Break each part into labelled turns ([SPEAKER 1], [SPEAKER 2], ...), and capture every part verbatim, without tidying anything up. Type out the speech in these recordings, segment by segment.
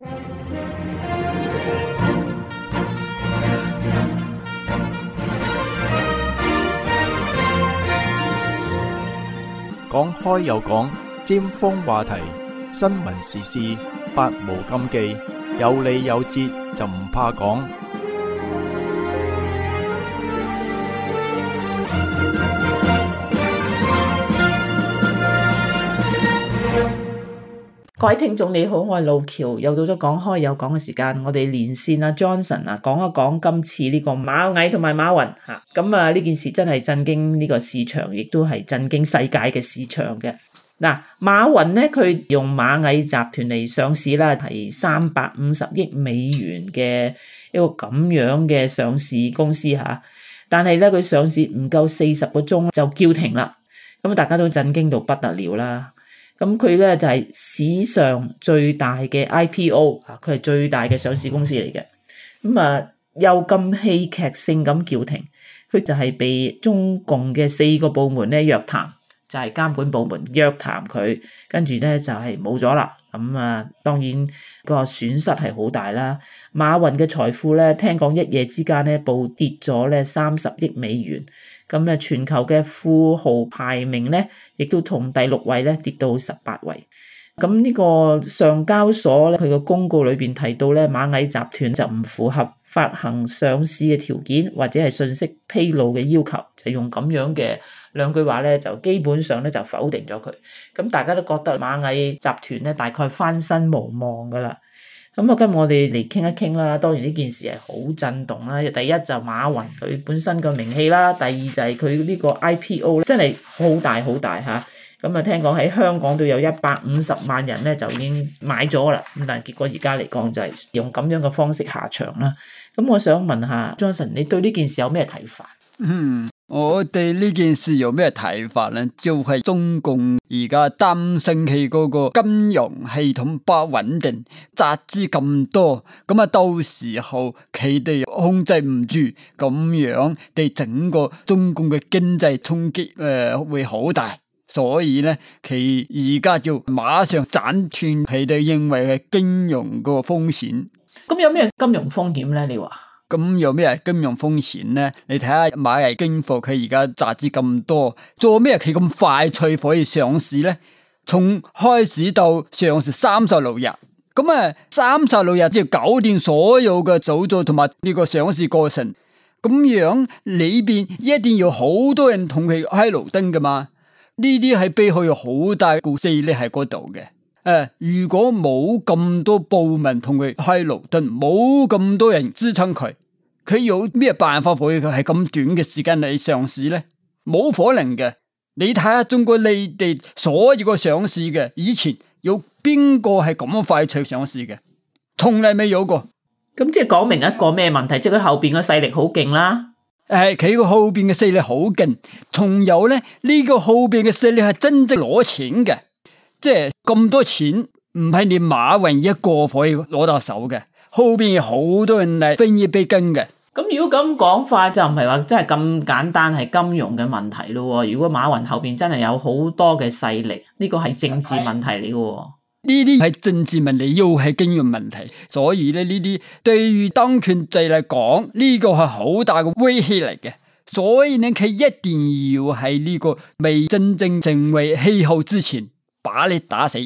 [SPEAKER 1] 講開又講，尖鋒話題，新聞時事，百無禁忌，有理有節就唔怕講。
[SPEAKER 2] 各位聽眾你好，我係路橋，又到咗講開有講嘅時間，我哋連線啊 Johnson 啊，講一講今次呢個螞蟻同埋馬雲吓，咁啊呢件事真係震驚呢個市場，亦都係震驚世界嘅市場嘅。嗱，馬雲咧佢用螞蟻集團嚟上市啦，係三百五十億美元嘅一個咁樣嘅上市公司吓，但係咧佢上市唔夠四十個鐘就叫停啦，咁大家都震驚到不得了啦。咁佢咧就係史上最大嘅 I P O 啊，佢係最大嘅上市公司嚟嘅。咁啊又咁戲劇性咁叫停，佢就係被中共嘅四個部門咧約談，就係監管部門約談佢，跟住咧就係冇咗啦。咁啊當然個損失係好大啦。馬雲嘅財富咧聽講一夜之間咧暴跌咗咧三十億美元。咁咧全球嘅富豪排名咧，亦都同第六位咧跌到十八位。咁呢個上交所咧，佢個公告裏邊提到咧，螞蟻集團就唔符合發行上市嘅條件或者係信息披露嘅要求，就用咁樣嘅兩句話咧，就基本上咧就否定咗佢。咁大家都覺得螞蟻集團咧大概翻身無望噶啦。咁啊，今日我哋嚟傾一傾啦。當然呢件事係好震動啦。第一就馬雲佢本身個名氣啦，第二就係佢呢個 I P O 真係好大好大嚇。咁啊，聽講喺香港都有一百五十萬人咧就已經買咗啦。咁但係結果而家嚟講就係用咁樣嘅方式下場啦。咁我想問下 Johnson，你對呢件事有咩睇法？
[SPEAKER 3] 嗯，我對呢件事有咩睇法呢？就係、是、中共而家擔心佢嗰個金融系統不穩定，集資咁多，咁啊到時候佢哋控制唔住，咁樣對整個中共嘅經濟衝擊誒會好大，所以呢，佢而家就馬上斬斷佢哋認為嘅金融個風險。
[SPEAKER 2] 咁有咩金融風險呢？你話？
[SPEAKER 3] 咁有咩金融風險呢？你睇下螞蟻金服佢而家集資咁多，做咩佢咁快脆可以上市呢？從開始到上市三十六日，咁啊三十六日就搞掂所有嘅手續同埋呢個上市過程，咁樣裏邊一定要好多人同佢開綠燈噶嘛？呢啲係背後有好大個勢力喺嗰度嘅。誒、呃，如果冇咁多部門同佢開綠燈，冇咁多人支撐佢，佢有咩辦法可以喺咁短嘅時間嚟上市呢？冇可能嘅。你睇下中國你哋所有個上市嘅，以前有邊個係咁快脆上市嘅？從來未有過。
[SPEAKER 2] 咁即係講明一個咩問題？即係佢後邊嘅勢力好勁啦。
[SPEAKER 3] 誒，佢個後邊嘅勢力好勁，仲有咧呢、這個後邊嘅勢力係真正攞錢嘅。即係咁多錢，唔係你馬雲一個可以攞到手嘅，後邊有好多人嚟分一杯羹嘅。
[SPEAKER 2] 咁如果咁講法，就唔係話真係咁簡單係金融嘅問題咯。如果馬雲後邊真係有好多嘅勢力，呢個係政治問題嚟嘅。
[SPEAKER 3] 呢啲係政治問題，又係金融問題，所以咧呢啲對於當權者嚟講，呢個係好大嘅威脅嚟嘅。所以呢，佢一定要喺呢個未真正成為氣候之前，把你打死。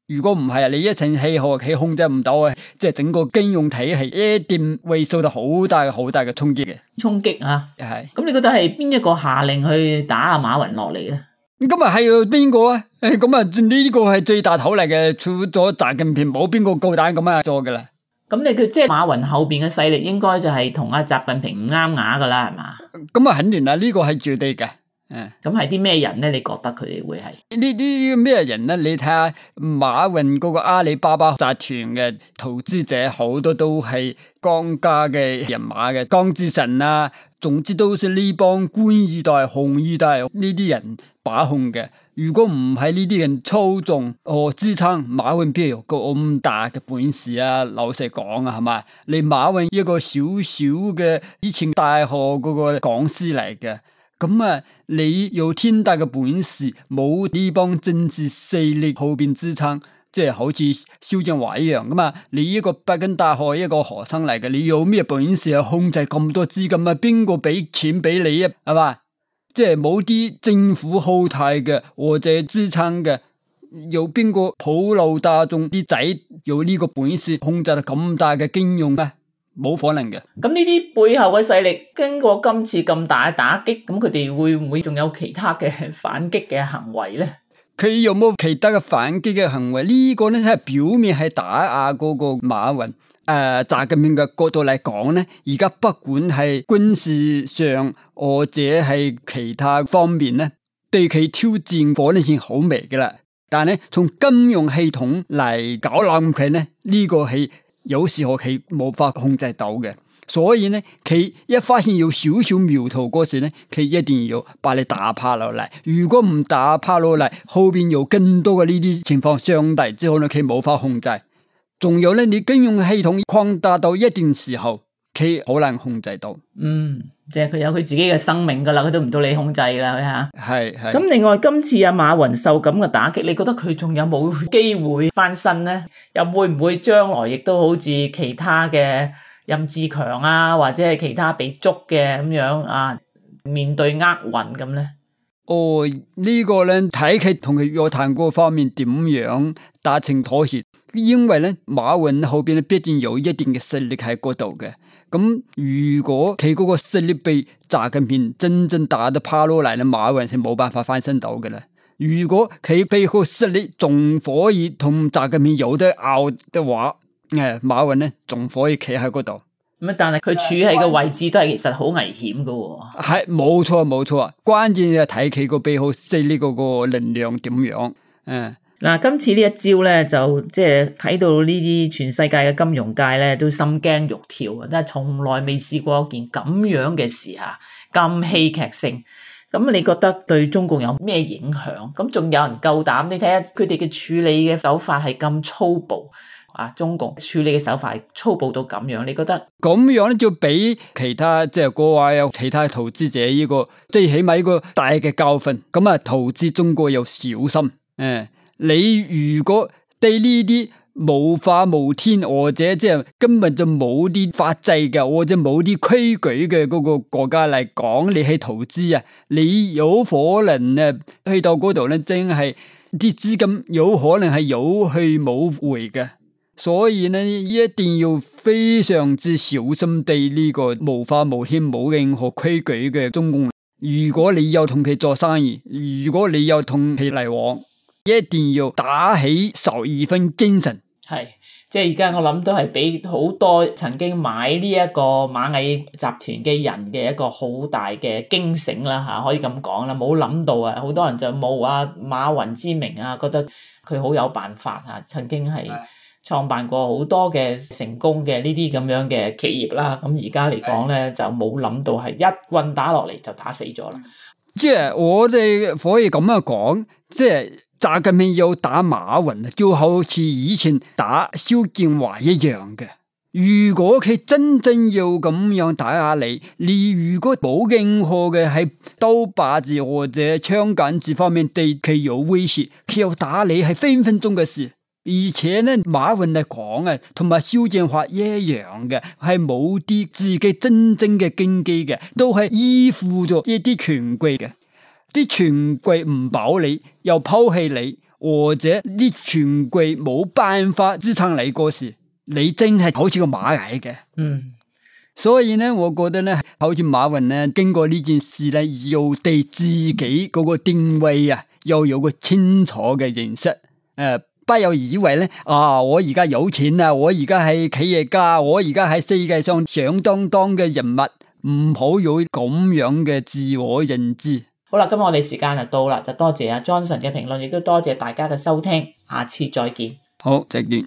[SPEAKER 3] 如果唔係啊，你一成氣候佢控制唔到啊，即係整個金融體系一定會受到好大好大嘅衝擊嘅。
[SPEAKER 2] 衝擊啊，
[SPEAKER 3] 係。
[SPEAKER 2] 咁你覺得係邊一個下令去打阿馬雲落嚟咧？
[SPEAKER 3] 咁啊係邊個啊？誒，咁啊呢個係最大頭嚟嘅，除咗習近平，冇邊個夠膽咁樣做噶啦。
[SPEAKER 2] 咁你佢即係馬雲後邊嘅勢力，應該就係同阿習近平唔啱牙噶啦，係嘛？咁
[SPEAKER 3] 啊肯定啦，呢個係絕對嘅。
[SPEAKER 2] 嗯，咁係啲咩人咧？你覺得佢哋會係
[SPEAKER 3] 呢啲咩人咧？你睇下馬雲嗰個阿里巴巴集團嘅投資者，好多都係江家嘅人馬嘅，江志成啊，總之都是呢幫官二代、紅二代呢啲人把控嘅。如果唔係呢啲人操縱和支撐，馬雲邊有咁大嘅本事啊？老實講啊，係嘛？你馬雲一個小小嘅以前大學嗰個講師嚟嘅。咁啊，你有天大嘅本事，冇呢幫政治勢力後邊支撐，即係好似蕭建華一樣噶嘛，你呢個北京大學一個學生嚟嘅，你有咩本事去控制咁多資金啊？邊個俾錢俾你啊？係嘛？即係冇啲政府後台嘅或者支撐嘅，有邊個普羅大眾啲仔有呢個本事控制到咁大嘅金融啊？冇可能嘅。
[SPEAKER 2] 咁呢啲背後嘅勢力經過今次咁大嘅打擊，咁佢哋會唔會仲有其他嘅反擊嘅行為咧？
[SPEAKER 3] 佢有冇其他嘅反擊嘅行為？呢、這個咧係表面係打壓嗰個馬雲誒習近平嘅角度嚟講咧，而家不管係軍事上或者係其他方面咧，對佢挑戰可能性好微嘅啦。但係咧從金融系統嚟搞冧佢咧，呢、這個係有時候佢冇法控制到嘅。所以呢，佢一發現有少少苗頭嗰時呢，佢一定要把你打趴落嚟。如果唔打趴落嚟，後邊有更多嘅呢啲情況相抵之後呢，佢冇法控制。仲有呢，你金融系統擴大到一定時候，佢好難控制到。
[SPEAKER 2] 嗯，即係佢有佢自己嘅生命噶啦，佢都唔到你控制啦，佢吓。
[SPEAKER 3] 係係。
[SPEAKER 2] 咁另外今次阿馬雲受咁嘅打擊，你覺得佢仲有冇機會翻身呢？又會唔會將來亦都好似其他嘅任志強啊，或者係其他被捉嘅咁樣啊，面對厄運咁咧？
[SPEAKER 3] 哦，這個、呢個咧睇佢同佢約談嗰方面點樣達成妥協，因為咧馬雲後邊咧必定有一定嘅實力喺嗰度嘅。咁如果佢嗰個實力被習近平真正打得趴落嚟咧，馬雲係冇辦法翻身到嘅啦。如果佢背後實力仲可以同習近平有得拗嘅話，誒，馬雲咧仲可以企喺嗰度。
[SPEAKER 2] 咁但係佢處喺個位置都係其實好危險噶喎。
[SPEAKER 3] 係冇錯冇錯，關鍵就睇佢個背後勢力嗰個能量點樣。嗯，嗱，
[SPEAKER 2] 今次呢一招咧，就即係睇到呢啲全世界嘅金融界咧都心驚肉跳啊！真係從來未試過一件咁樣嘅事吓，咁戲劇性。咁你覺得對中共有咩影響？咁仲有人夠膽？你睇下佢哋嘅處理嘅手法係咁粗暴啊！中共處理嘅手法係粗暴到咁樣，你覺得
[SPEAKER 3] 咁樣咧就俾其他即係國外有其他投資者呢個即係起碼一個大嘅教訓。咁啊，投資中國要小心。誒，你如果對呢啲無法無天或者即係根本就冇啲法制嘅或者冇啲規矩嘅嗰個國家嚟講，你去投資啊，你有可能咧去到嗰度咧，真係啲資金有可能係有去冇回嘅。所以呢，一定要非常之小心對呢個無法無天冇任何規矩嘅中共。如果你有同佢做生意，如果你有同佢嚟往，一定要打起十二分精神。
[SPEAKER 2] 係，即係而家我諗都係俾好多曾經買呢一個螞蟻集團嘅人嘅一個好大嘅驚醒啦吓，可以咁講啦，冇諗到啊，好多人就冒啊馬雲之名啊，覺得佢好有辦法啊，曾經係創辦過好多嘅成功嘅呢啲咁樣嘅企業啦，咁而家嚟講咧就冇諗到係一棍打落嚟就打死咗啦。
[SPEAKER 3] 即係我哋可以咁樣講，即係習近平要打馬雲，就好似以前打蕭建華一樣嘅。如果佢真正要咁樣打壓你，你如果冇任何嘅喺刀把子或者槍桿子方面對佢有威脅，佢要打你係分分鐘嘅事。而且呢，馬雲嚟講啊，同埋蕭建華一樣嘅，係冇啲自己真正嘅根基嘅，都係依附咗一啲權貴嘅。啲權貴唔保你，又拋棄你，或者啲權貴冇辦法支撐你嗰時，你真係好似個螞蟻嘅。
[SPEAKER 2] 嗯，
[SPEAKER 3] 所以呢，我覺得呢，好似馬雲呢，經過呢件事呢，要對自己嗰個定位啊，要有個清楚嘅認識。誒、呃。不要以為咧啊！我而家有錢啊！我而家係企業家，我而家係世界上響當當嘅人物，唔好有咁樣嘅自我認知。
[SPEAKER 2] 好啦，今日我哋時間就到啦，就多謝阿 Johnson 嘅評論，亦都多謝大家嘅收聽，下次再見。
[SPEAKER 3] 好，再見。